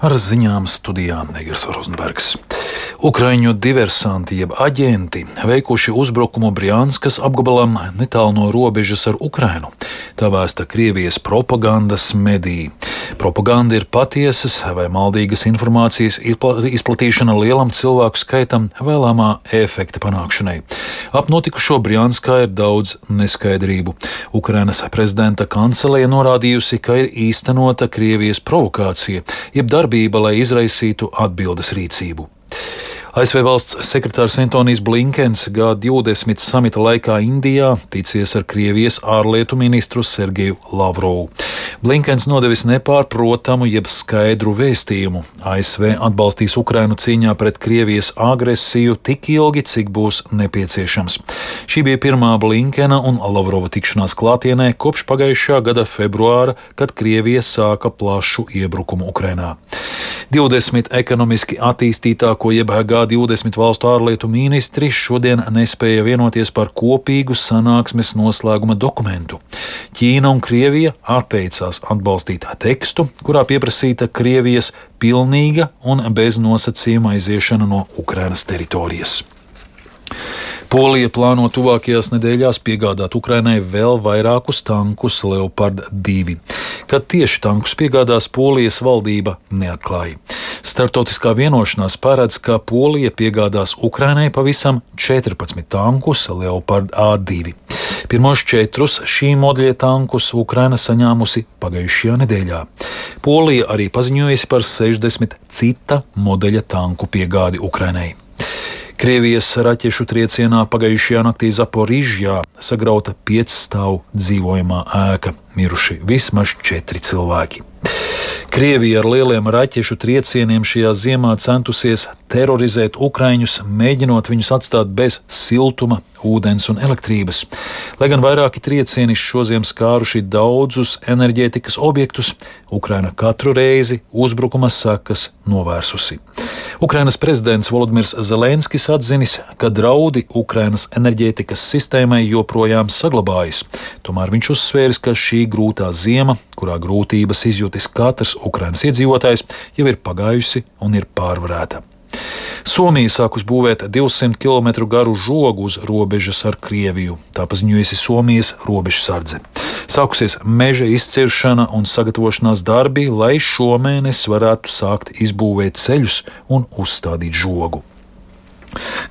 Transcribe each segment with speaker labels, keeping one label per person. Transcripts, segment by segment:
Speaker 1: Ar ziņām studijā Negers Rozenbergs. Ukraiņu diversanti jeb aģenti veikuši uzbrukumu Brianskas apgabalam netālu no robežas ar Ukrainu. Tā vēsta Krievijas propagandas mediji. Propaganda ir patiesas vai maldīgas informācijas izplatīšana lielam cilvēku skaitam vēlamā efekta panākšanai. Ap notikušo Brianskā ir daudz neskaidrību. Ukrainas prezidenta kanceleja norādījusi, ka ir īstenota Krievijas provokācija, jeb darbība, lai izraisītu atbildes rīcību. ASV valsts sekretārs Antonijs Blinkens G20 samita laikā Indijā ticies ar Krievijas ārlietu ministru Sergeju Lavrovu. Blinkens nodevis nepārprotamu jeb skaidru vēstījumu. ASV atbalstīs Ukrainu cīņā pret Krievijas agresiju tik ilgi, cik būs nepieciešams. Šī bija pirmā Blinkena un Lavrova tikšanās klātienē kopš pagājušā gada februāra, kad Krievija sāka plašu iebrukumu Ukrainā. 20 ekonomiski attīstītāko jeb G20 valstu ārlietu ministri šodien nespēja vienoties par kopīgu sanāksmes noslēguma dokumentu. Ķīna un Krievija atteicās atbalstīt tekstu, kurā pieprasīta Krievijas pilnīga un bez nosacījuma aiziešana no Ukrainas teritorijas. Polija plāno tuvākajās nedēļās piegādāt Ukrainai vēl vairākus tankus Leopard 2. Kad tieši tankus piegādās, Polijas valdība neatklāja. Startautiskā vienošanās paredz, ka Polija piegādās Ukrainai pavisam 14 tankus Leopard A2. Pirmos 4 šī modeļa tankus Ukraina saņēmusi pagājušajā nedēļā. Polija arī paziņojusi par 60 cita modeļa tanku piegādi Ukrainai. Krievijas raķešu triecienā pagājušajā naktī Zaporižjā sagrauta 5-stāvu dzīvojamā ēka, miruši vismaz 4 cilvēki. Krievija ar lieliem raķešu triecieniem šajā ziemā centusies terorizēt ukraiņus, mēģinot viņus atstāt bez siltuma, ūdens un elektrības. Lai gan vairāki triecieni šoziem skāruši daudzus enerģētikas objektus, Ukraina katru reizi uzbrukuma sekas novērsusi. Ukrainas prezidents Volodimirs Zelenskis atzinis, ka draudi Ukrainas enerģētikas sistēmai joprojām saglabājas. Tomēr viņš uzsvēris, ka šī grūtā ziema, kurā grūtības izjūtis katrs Ukrainas iedzīvotājs, jau ir pagājusi un ir pārvarēta. Somija sākus būvēt 200 km garu žogu uz robežas ar Krieviju, tā paziņojusi Somijas robežsardze. Sākusies meža izciršana un sagatavošanās darbi, lai šomēnes varētu sākt izbūvēt ceļus un uzstādīt žogu.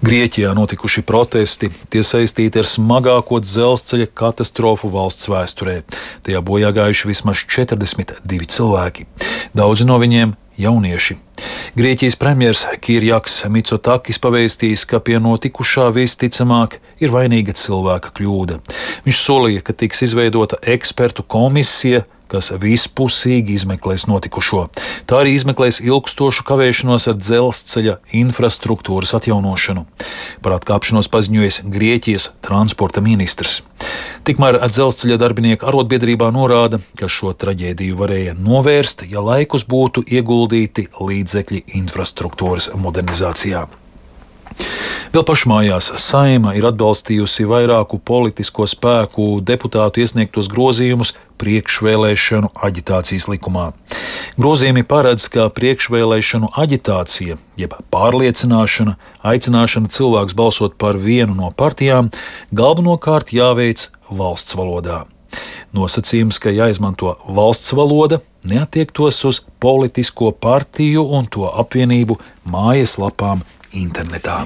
Speaker 1: Grieķijā notikuši protesti, tie saistīti ar smagāko dzelzceļa katastrofu valsts vēsturē. Tajā bojā gājuši vismaz 42 cilvēki. Daudzi no viņiem jaunieši. Grieķijas premjers Kirjaks Mitsotakis pavēstījis, ka pie notikušā visticamāk ir vainīga cilvēka kļūda. Viņš solīja, ka tiks izveidota ekspertu komisija, kas vispusīgi izmeklēs notikušo. Tā arī izmeklēs ilgstošu kavēšanos ar dzelzceļa infrastruktūras atjaunošanu. Par atkāpšanos paziņojis Grieķijas transporta ministrs. Tikmēr dzelzceļa darbinieku arotbiedrībā norāda, ka šo traģēdiju varēja novērst, ja laikus būtu ieguldīti līdzekļi infrastruktūras modernizācijā. Vēl pašmājās Saeima ir atbalstījusi vairāku politisko spēku deputātu iesniegtos grozījumus priekšvēlēšanu aģitācijas likumā. Grozījumi paredz, ka priekšvēlēšanu aģitācija, jeb pārliecināšana, aicināšana cilvēks balsot par vienu no partijām, galvenokārt jāveic valsts valodā. Nosacījums, ka jāizmanto valsts valoda, neattiektos uz politisko partiju un to apvienību mājaslapām internetā.